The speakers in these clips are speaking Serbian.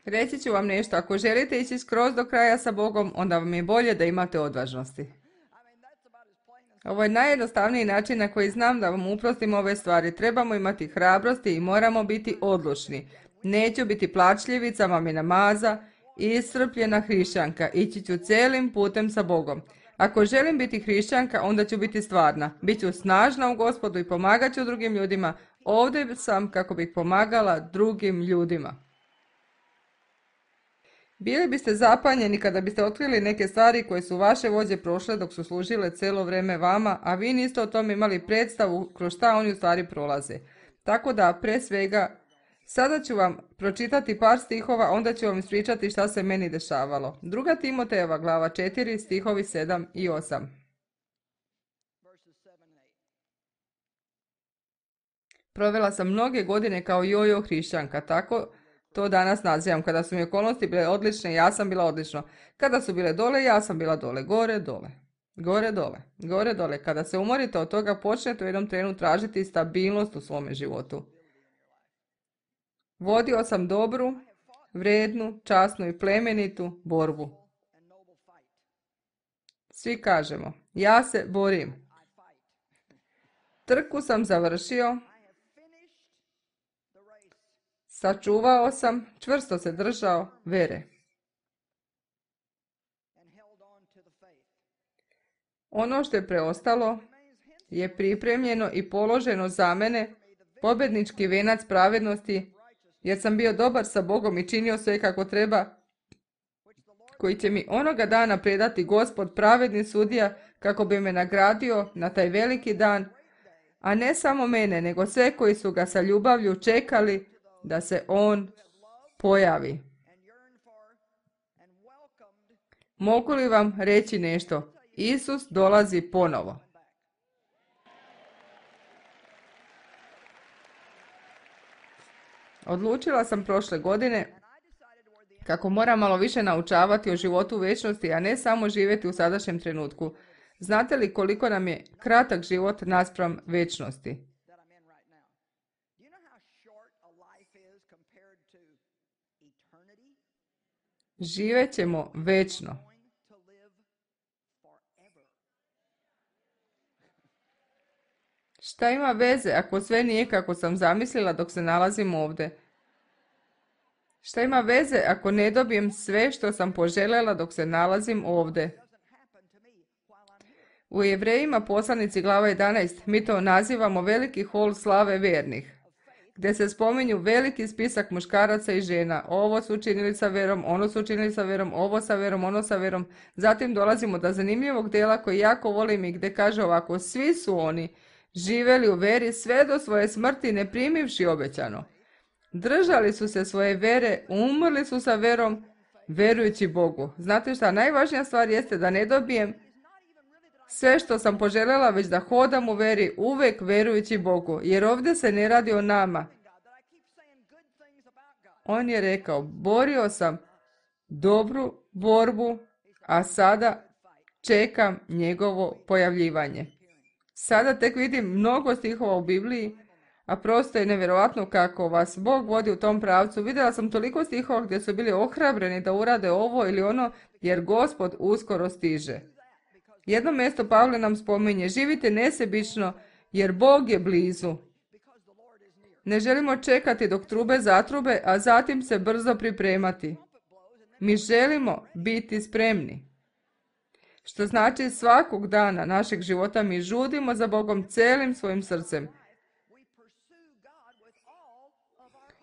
Reći ću vam nešto, ako želite ići skroz do kraja sa Bogom, onda vam je bolje da imate odvažnosti. Ovo je najjednostavniji način na koji znam da vam uprostim ove stvari. Trebamo imati hrabrosti i moramo biti odlučni. Neću biti plačljivica, mamina maza, iscrpljena hrišćanka. Ići ću cijelim putem sa Bogom. Ako želim biti hrišćanka, onda ću biti stvarna. Biću snažna u Gospodu i pomagat ću drugim ljudima. Ovdje sam kako bih pomagala drugim ljudima. Bili biste zapanjeni kada biste otkrili neke stvari koje su vaše vođe prošle dok su služile cijelo vrijeme vama, a vi niste o tome imali predstavu kroz šta oni u stvari prolaze. Tako da, pre svega, sada ću vam pročitati par stihova, onda ću vam ispričati šta se meni dešavalo. 2. Timotejeva glava 4, stihovi 7 i 8. Provela sam mnoge godine kao jojo hrišćanka, tako to danas nazivam. Kada su mi okolnosti bile odlične, ja sam bila odlično. Kada su bile dole, ja sam bila dole. Gore, dole. Gore, dole. Gore, dole. Kada se umorite od toga, počnete u jednom trenu tražiti stabilnost u svome životu. Vodio sam dobru, vrednu, časnu i plemenitu borbu. Svi kažemo, ja se borim. Trku sam završio. Sačuvao sam, čvrsto se držao vere. Ono što je preostalo je pripremljeno i položeno za mene, pobjednički venac pravednosti, jer sam bio dobar sa Bogom i činio sve kako treba, koji će mi onoga dana predati Gospod, pravedni sudija, kako bi me nagradio na taj veliki dan, a ne samo mene, nego sve koji su ga sa ljubavlju čekali da se on pojavi. Mogu li vam reći nešto? Isus dolazi ponovo. Odlučila sam prošle godine kako moram malo više naučavati o životu u vječnosti, a ne samo živjeti u sadašnjem trenutku. Znate li koliko nam je kratak život naspram vječnosti? Živet ćemo večno. Šta ima veze ako sve nije kako sam zamislila dok se nalazim ovdje? Šta ima veze ako ne dobijem sve što sam poželjela dok se nalazim ovdje? U Jevrejima poslanici glava 11 mi to nazivamo veliki hol slave vjernih, gdje se spominju veliki spisak muškaraca i žena. Ovo su učinili sa verom, ono su učinili sa verom, ovo sa verom, ono sa verom. Zatim dolazimo do zanimljivog dijela koji jako volim i gdje kaže ovako: svi su oni živjeli u veri sve do svoje smrti ne primivši obećano. Držali su se svoje vere, umrli su sa verom, verujući Bogu. Znate šta, najvažnija stvar jeste da ne dobijem sve što sam poželjela, već da hodam u veri, uvijek verujući Bogu, jer ovdje se ne radi o nama. On je rekao, borio sam dobru borbu, a sada čekam njegovo pojavljivanje. Sada tek vidim mnogo stihova u Bibliji, a prosto je nevjerojatno kako vas Bog vodi u tom pravcu. Vidjela sam toliko stihova gdje su bili ohrabreni da urade ovo ili ono, jer Gospod uskoro stiže. Jedno mjesto Pavle nam spominje, živite nesebično, jer Bog je blizu. Ne želimo čekati dok trube zatrube, a zatim se brzo pripremati. Mi želimo biti spremni. Što znači svakog dana našeg života mi žudimo za Bogom cijelim svojim srcem.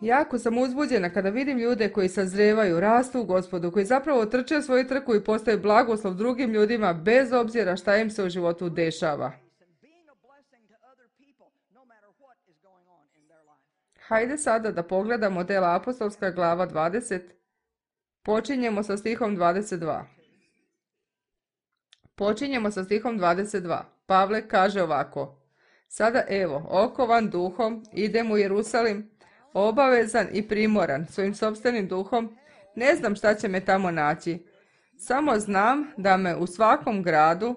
Jako sam uzbuđena kada vidim ljude koji sazrevaju, rastu u Gospodu, koji zapravo trče svoju trku i postaju blagoslov drugim ljudima bez obzira šta im se u životu dešava. Hajde sada da pogledamo dela apostolska glava 20. Počinjemo sa stihom 22. Počinjemo sa stihom 22. Pavle kaže ovako: sada evo, okovan duhom, idem u Jerusalim, obavezan i primoran svojim sopstvenim duhom, ne znam šta će me tamo naći. Samo znam da me u svakom gradu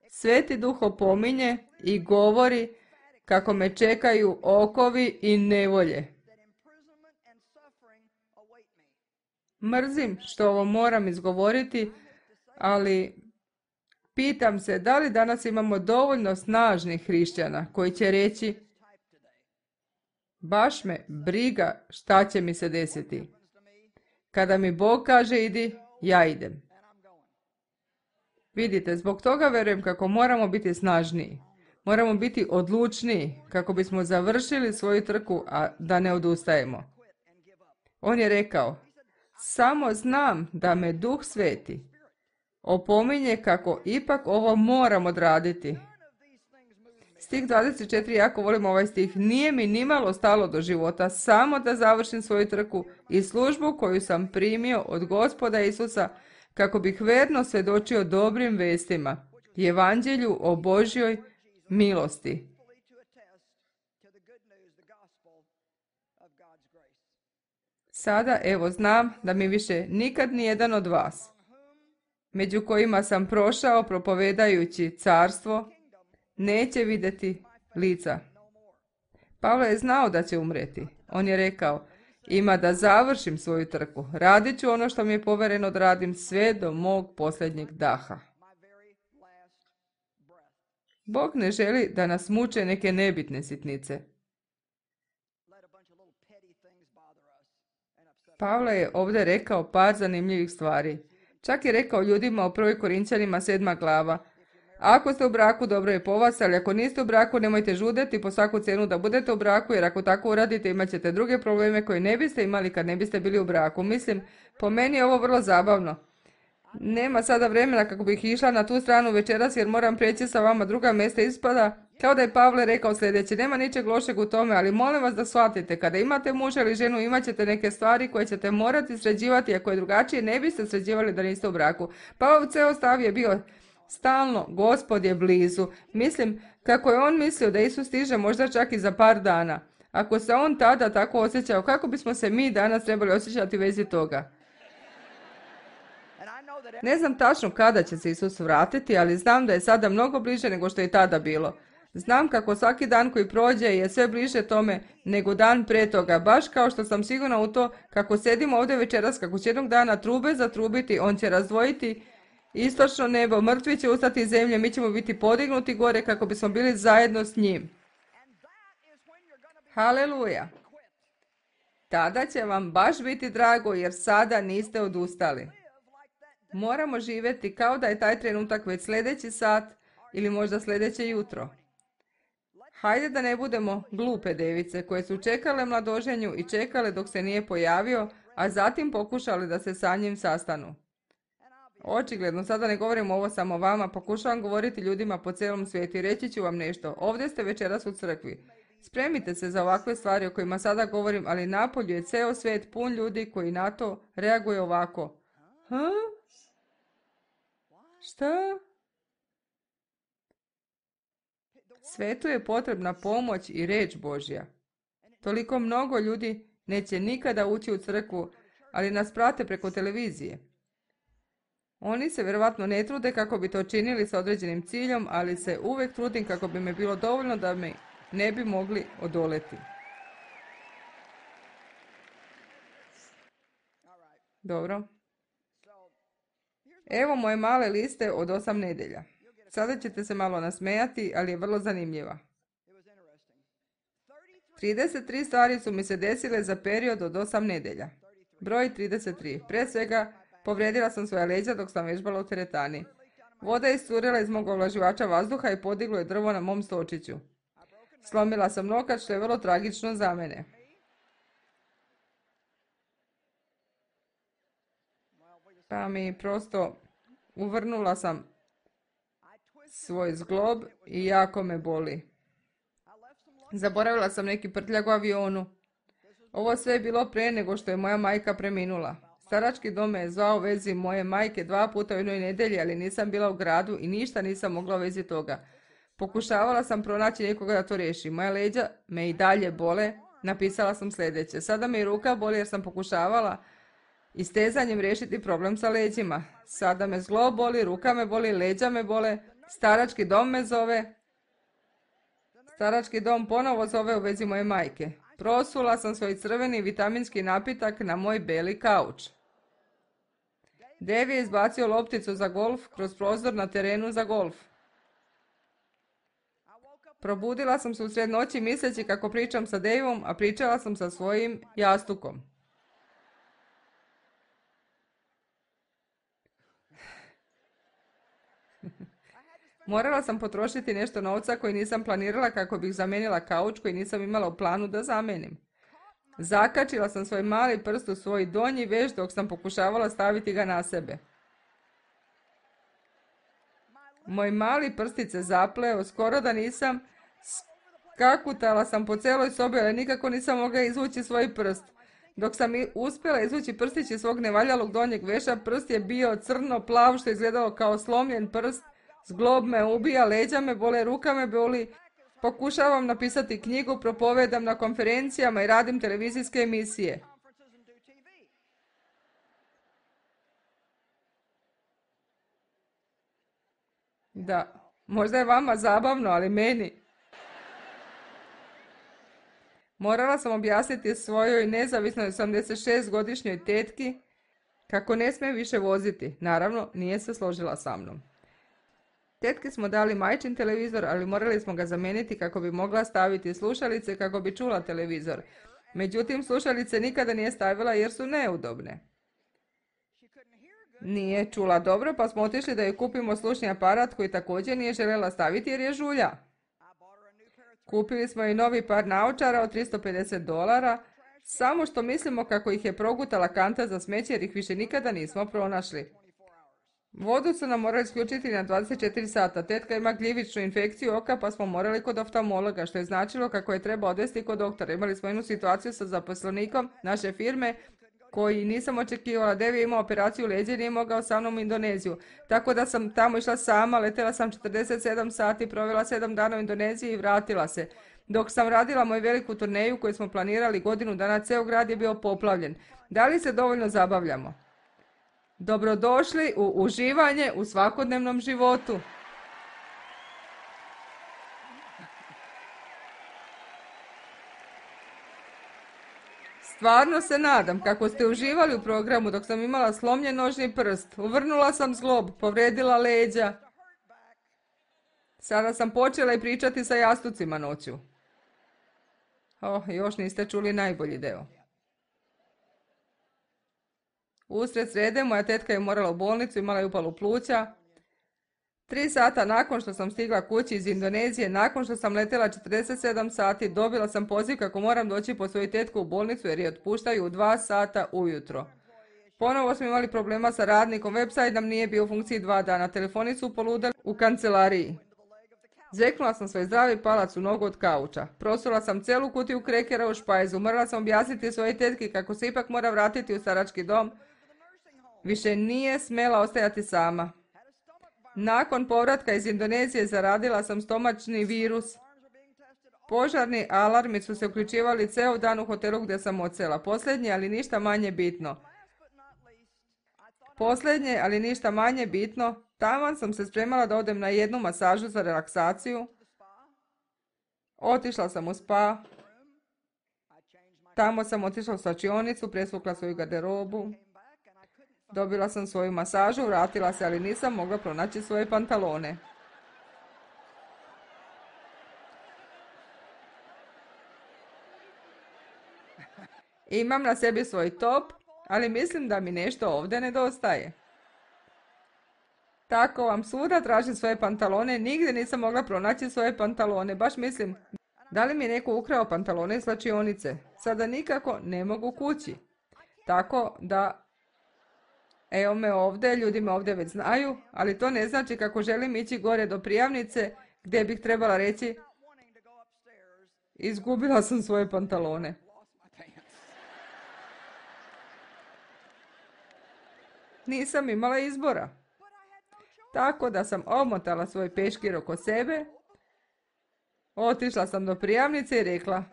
Sveti Duh opominje i govori kako me čekaju okovi i nevolje. Mrzim što ovo moram izgovoriti, ali pitam se da li danas imamo dovoljno snažnih hrišćana koji će reći baš me briga šta će mi se desiti. Kada mi Bog kaže idi, ja idem. Vidite, zbog toga verujem kako moramo biti snažniji. Moramo biti odlučniji kako bismo završili svoju trku, a da ne odustajemo. On je rekao, samo znam da me Duh Sveti opominje kako ipak ovo moram odraditi. Stih 24, jako volim ovaj stih. Nije mi nimalo stalo do života, samo da završim svoju trku i službu koju sam primio od Gospoda Isusa, kako bih verno svjedočio dobrim vestima, evanđelju o Božjoj milosti. Sada evo znam da mi više nikad nijedan od vas, među kojima sam prošao propovedajući carstvo, neće vidjeti lica. Pavle je znao da će umreti. On je rekao, ima da završim svoju trku. Radit ću ono što mi je povereno da radim sve do mog posljednjeg daha. Bog ne želi da nas muče neke nebitne sitnice. Pavle je ovdje rekao par zanimljivih stvari. Čak je rekao ljudima u 1. Korinćanima 7. glava, ako ste u braku, dobro je po vas, ali ako niste u braku, nemojte žudeti po svaku cijenu da budete u braku, jer ako tako uradite, imat ćete druge probleme koje ne biste imali kad ne biste bili u braku. Mislim, po meni je ovo vrlo zabavno. Nema sada vremena kako bih išla na tu stranu večeras, jer moram preći sa vama druga mjesta. Ispada kao da je Pavle rekao sljedeće, nema ničeg lošeg u tome, ali molim vas da shvatite, kada imate muža ili ženu, imat ćete neke stvari koje ćete morati sređivati, ako je drugačije ne biste sređivali da niste u braku. Pavlov ceo stav je bio stalno, Gospod je blizu. Mislim, kako je on mislio da Isus stiže možda čak i za par dana. Ako se on tada tako osjećao, kako bismo se mi danas trebali osjećati u vezi toga? Ne znam tačno kada će se Isus vratiti, ali znam da je sada mnogo bliže nego što je tada bilo. Znam kako svaki dan koji prođe je sve bliže tome nego dan pre toga, baš kao što sam sigurna u to kako sedimo ovdje večeras, kako će jednog dana trube zatrubiti, on će razdvojiti istočno nebo, mrtvi će ustati iz zemlje, mi ćemo biti podignuti gore kako bismo bili zajedno s njim. Haleluja! Tada će vam baš biti drago jer sada niste odustali. Moramo živjeti kao da je taj trenutak već sljedeći sat ili možda sljedeće jutro. Hajde da ne budemo glupe device koje su čekale mladoženju i čekale dok se nije pojavio, a zatim pokušali da se sa njim sastanu. Očigledno, sada ne govorim ovo samo vama, pokušavam govoriti ljudima po cijelom svijetu i reći ću vam nešto. Ovdje ste večeras u crkvi. Spremite se za ovakve stvari o kojima sada govorim, ali napolju je ceo svijet pun ljudi koji na to reaguje ovako. Šta? Svetu je potrebna pomoć i reč Božja. Toliko mnogo ljudi neće nikada ući u crkvu, ali nas prate preko televizije. Oni se vjerovatno ne trude kako bi to činili s određenim ciljom, ali se uvijek trudim kako bi me bilo dovoljno da me ne bi mogli odoleti. Dobro. Evo moje male liste od 8 nedelja. Sada ćete se malo nasmejati, ali je vrlo zanimljiva. 33 stvari su mi se desile za period od 8 nedelja. Broj 33. Pre svega, povrijedila sam svoja leđa dok sam vežbala u teretani. Voda je iscurila iz mog ovlaživača vazduha i podiglo je drvo na mom stočiću. Slomila sam nokat, što je vrlo tragično za mene. Pa mi prosto uvrnula sam svoj zglob i jako me boli. Zaboravila sam neki prtljag u avionu. Ovo sve je bilo pre nego što je moja majka preminula. Starački dom me je zvao u vezi moje majke 2 puta u jednoj nedelji, ali nisam bila u gradu i ništa nisam mogla u vezi toga. Pokušavala sam pronaći nekoga da to riješi. Moja leđa me i dalje bole. Napisala sam sljedeće. Sada me i ruka boli jer sam pokušavala istezanjem riješiti problem sa leđima. Sada me zglob boli, ruka me boli, leđa me bole. Starački dom me zove. Starački dom ponovo zove u vezi moje majke. Prosula sam svoj crveni vitaminski napitak na moj beli kauč. Dave je izbacio lopticu za golf kroz prozor na terenu za golf. Probudila sam se usred noći misleći kako pričam sa Daveom, a pričala sam sa svojim jastukom. Morala sam potrošiti nešto novca koji nisam planirala kako bih zamijenila kauč koji nisam imala u planu da zamenim. Zakačila sam svoj mali prst u svoj donji veš dok sam pokušavala staviti ga na sebe. Moj mali prstic se zapleo, skoro da nisam, skakutala sam po celoj sobi, ali nikako nisam mogla izvući svoj prst. Dok sam uspjela izvući prstić iz svog nevaljalog donjeg veša, prst je bio crno plav što je izgledalo kao slomljen prst. Zglob me ubija, leđa me bole, ruka me boli. Pokušavam napisati knjigu, propovedam na konferencijama i radim televizijske emisije. Da, možda je vama zabavno, ali meni. Morala sam objasniti svojoj nezavisnoj 86-godišnjoj tetki kako ne smije više voziti. Naravno, nije se složila sa mnom. Tetki smo dali majčin televizor, ali morali smo ga zamijeniti kako bi mogla staviti slušalice kako bi čula televizor. Međutim, slušalice nikada nije stavila jer su neudobne. Nije čula dobro, pa smo otišli da joj kupimo slušni aparat koji također nije željela staviti jer je žulja. Kupili smo i novi par naočara od $350, samo što mislimo kako ih je progutala kanta za smeće jer ih više nikada nismo pronašli. Vodu su nam morali isključiti na 24 sata. Tetka ima gljivičnu infekciju oka pa smo morali kod oftalmologa, što je značilo kako je treba odvesti kod doktora. Imali smo jednu situaciju sa zaposlenikom naše firme koji nisam očekivala. Devi je imao operaciju leđa i nije mogao sa mnom u Indoneziju. Tako da sam tamo išla sama, letjela sam 47 sati, provela 7 dana u Indoneziji i vratila se. Dok sam radila moju veliku turneju koju smo planirali godinu dana, ceo grad je bio poplavljen. Da li se dovoljno zabavljamo? Dobrodošli u uživanje u svakodnevnom životu. Stvarno se nadam kako ste uživali u programu dok sam imala slomljen nožni prst. Uvrnula sam zglob, povredila leđa. Sada sam počela i pričati sa jastucima noću. Još niste čuli najbolji deo. Usred srede moja tetka je morala u bolnicu, imala je upalu pluća. 3 sata nakon što sam stigla kući iz Indonezije, nakon što sam letjela 47 sati, dobila sam poziv kako moram doći po svoju tetku u bolnicu jer je otpuštaju u 2 sata ujutro. Ponovo smo imali problema sa radnikom, website nam nije bio u funkciji 2 dana, telefoni su poludali u kancelariji. Zeknula sam svoj zdravi palac u nogu od kauča. Prosula sam celu kutiju krekera u špajzu, morala sam objasniti svojoj tetki kako se ipak mora vratiti u starački dom. Više nije smjela ostajati sama. Nakon povratka iz Indonezije zaradila sam stomačni virus. Požarni alarmi su se uključivali ceo dan u hotelu gdje sam odsela. Posljednje, ali ništa manje bitno, taman sam se spremala da odem na jednu masažu za relaksaciju. Otišla sam u spa. Tamo sam otišla u slačionicu, presvukla svoju garderobu. Dobila sam svoju masažu, vratila se, ali nisam mogla pronaći svoje pantalone. Imam na sebi svoj top, ali mislim da mi nešto ovdje nedostaje. Tako vam svuda tražim svoje pantalone, nigdje nisam mogla pronaći svoje pantalone. Baš mislim, da li mi je neko ukrao pantalone iz slačionice? Sada nikako ne mogu kući. Tako da, evo me ovdje, ljudi me ovdje već znaju, ali to ne znači kako želim ići gore do prijavnice gdje bih trebala reći izgubila sam svoje pantalone. Nisam imala izbora. Tako da sam omotala svoj peškir oko sebe, otišla sam do prijavnice i rekla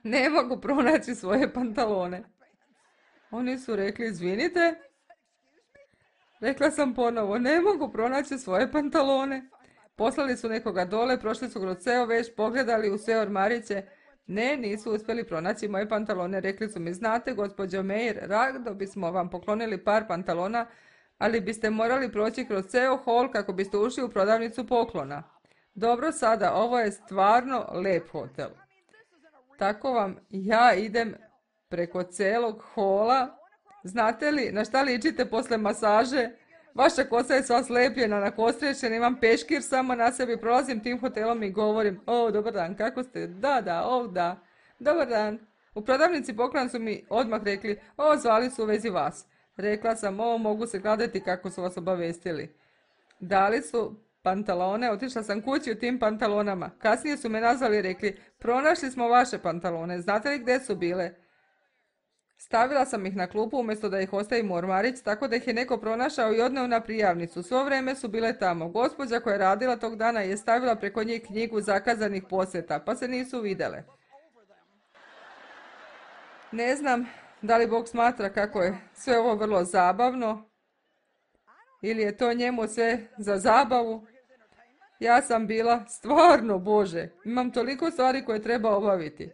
ne mogu pronaći svoje pantalone. Oni su rekli izvinite. Rekla sam ponovo ne mogu pronaći svoje pantalone. Poslali su nekoga dole, prošli su kroz ceo veš, pogledali u sve ormariće. Ne, nisu uspjeli pronaći moje pantalone. Rekli su mi, znate, gospođo Meir, rado bismo vam poklonili par pantalona, ali biste morali proći kroz ceo hol kako biste ušli u prodavnicu poklona. Dobro, sada, ovo je stvarno lep hotel. Tako vam ja idem preko celog hola. Znate li na šta ličite posle masaže? Vaša kosa je sva slepljena, nakostrešena, imam peškir samo na sebi, prolazim tim hotelom i govorim, o, dobar dan, kako ste? Da, da. Dobar dan. U prodavnici poklona su mi odmah rekli, o, zvali su u vezi vas. Rekla sam, o, mogu se gledati kako su vas obavestili. Dali su pantalone, otišla sam kući u tim pantalonama. Kasnije su me nazvali i rekli, pronašli smo vaše pantalone, znate li gdje su bile? Stavila sam ih na klupu umjesto da ih ostavim u ormarić, tako da ih je neko pronašao i odneo na prijavnicu. Svo vrijeme su bile tamo. Gospođa koja je radila tog dana je stavila preko njih knjigu zakazanih posjeta, pa se nisu vidjele. Ne znam da li Bog smatra kako je sve ovo vrlo zabavno, ili je to njemu sve za zabavu. Ja sam bila stvarno, Bože, imam toliko stvari koje treba obaviti.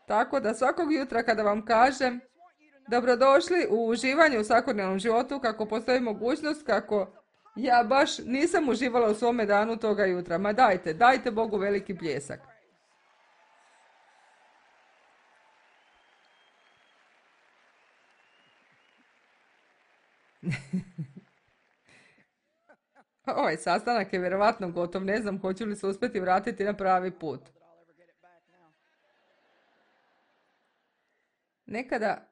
Tako da svakog jutra kada vam kažem dobrodošli u uživanje u svakodnevnom životu, kako postoji mogućnost, kako ja baš nisam uživala u svome danu toga jutra. Ma dajte Bogu veliki pljesak. Ovaj sastanak je vjerovatno gotov, ne znam hoću li se uspjeti vratiti na pravi put. Nekada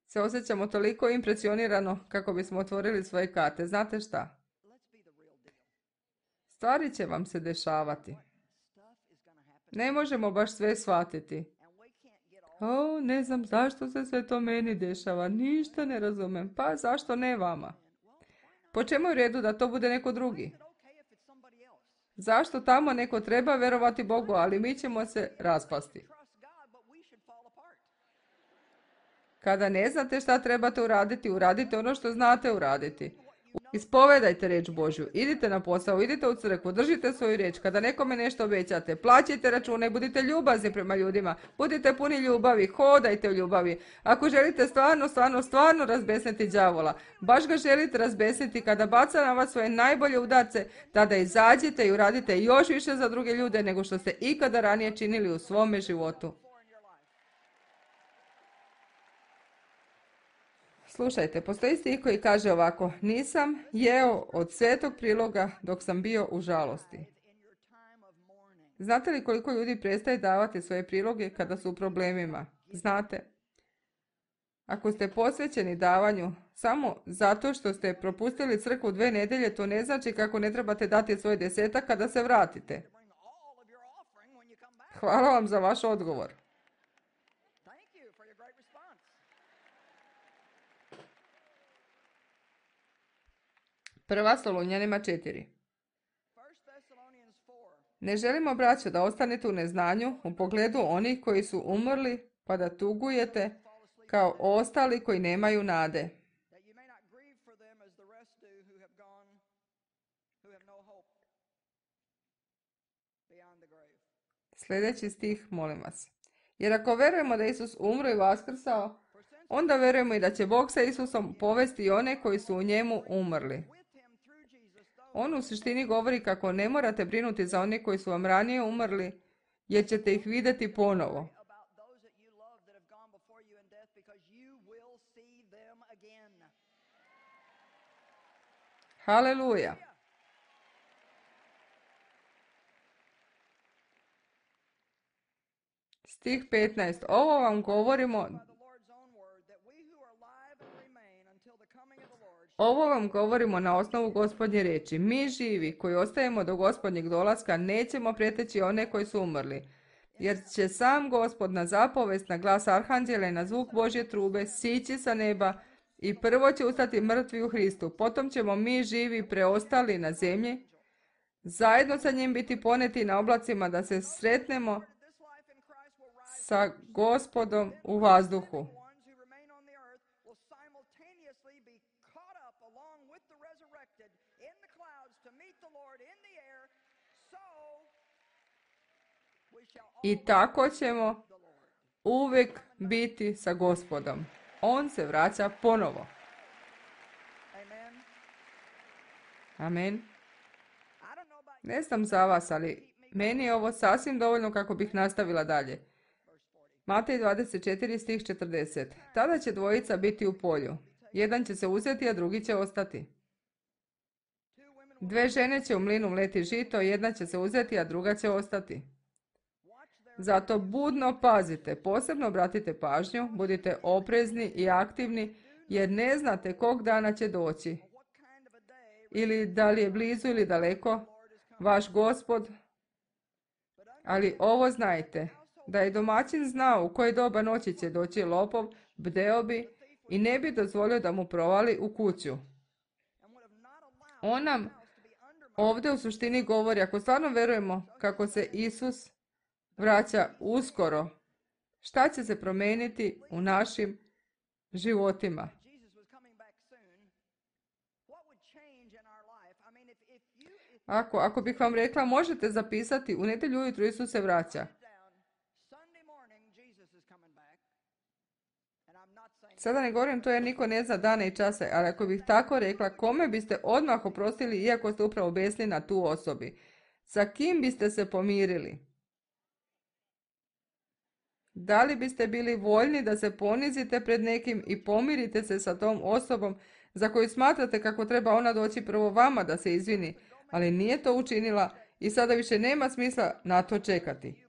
se osjećamo toliko impresionirano kako bismo otvorili svoje karte. Znate šta? Stvari će vam se dešavati. Ne možemo baš sve shvatiti. O, ne znam zašto se sve to meni dešava. Ništa ne razumem. Pa zašto ne vama? Po čemu je u redu da to bude neko drugi? Zašto tamo neko treba vjerovati Bogu, ali mi ćemo se raspasti? Kada ne znate šta trebate uraditi, uradite ono što znate uraditi. Ispovedajte riječ Božju, idite na posao, idite u crkvu, držite svoju riječ. Kada nekome nešto obećate, plaćajte račune, budite ljubazni prema ljudima, budite puni ljubavi, hodajte u ljubavi. Ako želite stvarno razbesniti đavola, baš ga želite razbesniti kada baca na vas svoje najbolje udarce, tada izađite i uradite još više za druge ljude nego što ste ikada ranije činili u svome životu. Slušajte, postoji stih koji kaže ovako, nisam jeo od svetog priloga dok sam bio u žalosti. Znate li koliko ljudi prestaje davati svoje priloge kada su u problemima? Znate, ako ste posvećeni davanju samo zato što ste propustili crkvu 2 nedjelje, to ne znači kako ne trebate dati svoj 10 kada se vratite. Hvala vam za vaš odgovor. Prva Solunjanima 4. Ne želimo, braćo, da ostanete u neznanju u pogledu onih koji su umrli, pa da tugujete kao ostali koji nemaju nade. Sljedeći stih, molim vas. Jer ako verujemo da Isus umro i vaskrsao, onda verujemo i da će Bog sa Isusom povesti i one koji su u njemu umrli. On u suštini govori kako ne morate brinuti za one koji su vam ranije umrli, jer ćete ih vidjeti ponovo. Haleluja! Stih 15. Ovo vam govorimo na osnovu Gospodnje riječi. Mi živi koji ostajemo do Gospodnjeg dolaska nećemo preteći one koji su umrli, jer će sam Gospod na zapovest, na glas arhanđela i na zvuk Božje trube sići sa neba i prvo će ustati mrtvi u Hristu. Potom ćemo mi živi preostali na zemlji zajedno sa njim biti poneti na oblacima da se sretnemo sa Gospodom u vazduhu. I tako ćemo uvijek biti sa Gospodom. On se vraća ponovo. Amen. Ne znam za vas, ali meni je ovo sasvim dovoljno kako bih nastavila dalje. Matej 24, stih 40. Tada će dvojica biti u polju. Jedan će se uzeti, a drugi će ostati. Dve žene će u mlinu mleti žito, jedna će se uzeti, a druga će ostati. Zato budno pazite, posebno obratite pažnju, budite oprezni i aktivni, jer ne znate kog dana će doći. Ili da li je blizu ili daleko, vaš Gospod. Ali ovo znajte, da je domaćin znao u koje doba noći će doći lopov, bdeo bi i ne bi dozvolio da mu provali u kuću. On nam ovdje u suštini govori, ako stvarno verujemo kako se Isus vraća uskoro, šta će se promijeniti u našim životima. Ako bih vam rekla, možete zapisati, u nedjelju ujutro Isus se vraća. Sada ne govorim to jer niko ne zna dane i čase, ali ako bih tako rekla, kome biste odmah oprostili iako ste upravo besni na tu osobi? Sa kim biste se pomirili? Da li biste bili voljni da se ponizite pred nekim i pomirite se sa tom osobom za koju smatrate kako treba ona doći prvo vama da se izvini, ali nije to učinila i sada više nema smisla na to čekati?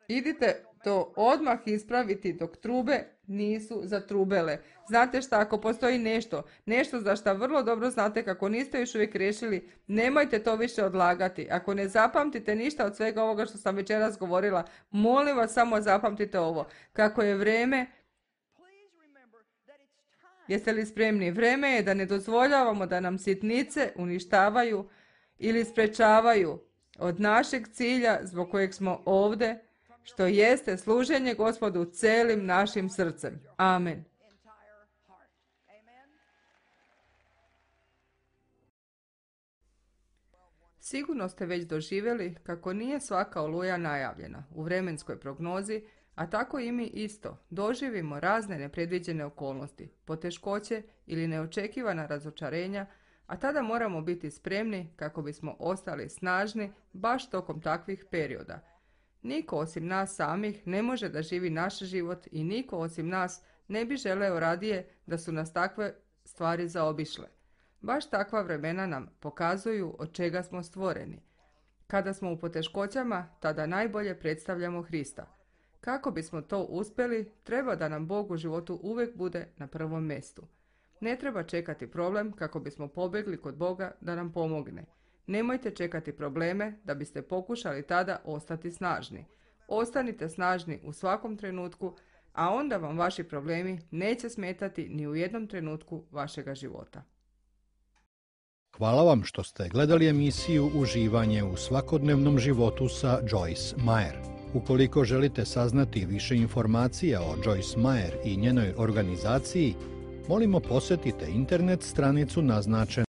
Idite to odmah ispraviti dok trube nisu zatrubele. Znate šta, ako postoji nešto za što vrlo dobro znate kako niste još uvijek riješili, nemojte to više odlagati. Ako ne zapamtite ništa od svega ovoga što sam večeras govorila, molim vas samo zapamtite ovo. Kako je vrijeme, jeste li spremni? Vrijeme je da ne dozvoljavamo da nam sitnice uništavaju ili sprečavaju od našeg cilja zbog kojeg smo ovdje, što jeste služenje Gospodu celim našim srcem. Amen. Sigurno ste već doživjeli kako nije svaka oluja najavljena u vremenskoj prognozi, a tako i mi isto doživimo razne nepredviđene okolnosti, poteškoće ili neočekivana razočarenja, a tada moramo biti spremni kako bismo ostali snažni baš tokom takvih perioda. Niko osim nas samih ne može da živi naš život i niko osim nas ne bi želeo radije da su nas takve stvari zaobišle. Baš takva vremena nam pokazuju od čega smo stvoreni. Kada smo u poteškoćama, tada najbolje predstavljamo Hrista. Kako bismo to uspjeli, treba da nam Bog u životu uvijek bude na prvom mjestu. Ne treba čekati problem kako bismo pobjegli kod Boga da nam pomogne. Nemojte čekati probleme da biste pokušali tada ostati snažni. Ostanite snažni u svakom trenutku, a onda vam vaši problemi neće smetati ni u jednom trenutku vašega života. Hvala vam što ste gledali emisiju Uživanje u svakodnevnom životu sa Joyce Meyer. Ukoliko želite saznati više informacija o Joyce Meyer i njenoj organizaciji, molimo posjetite internet stranicu naznačenu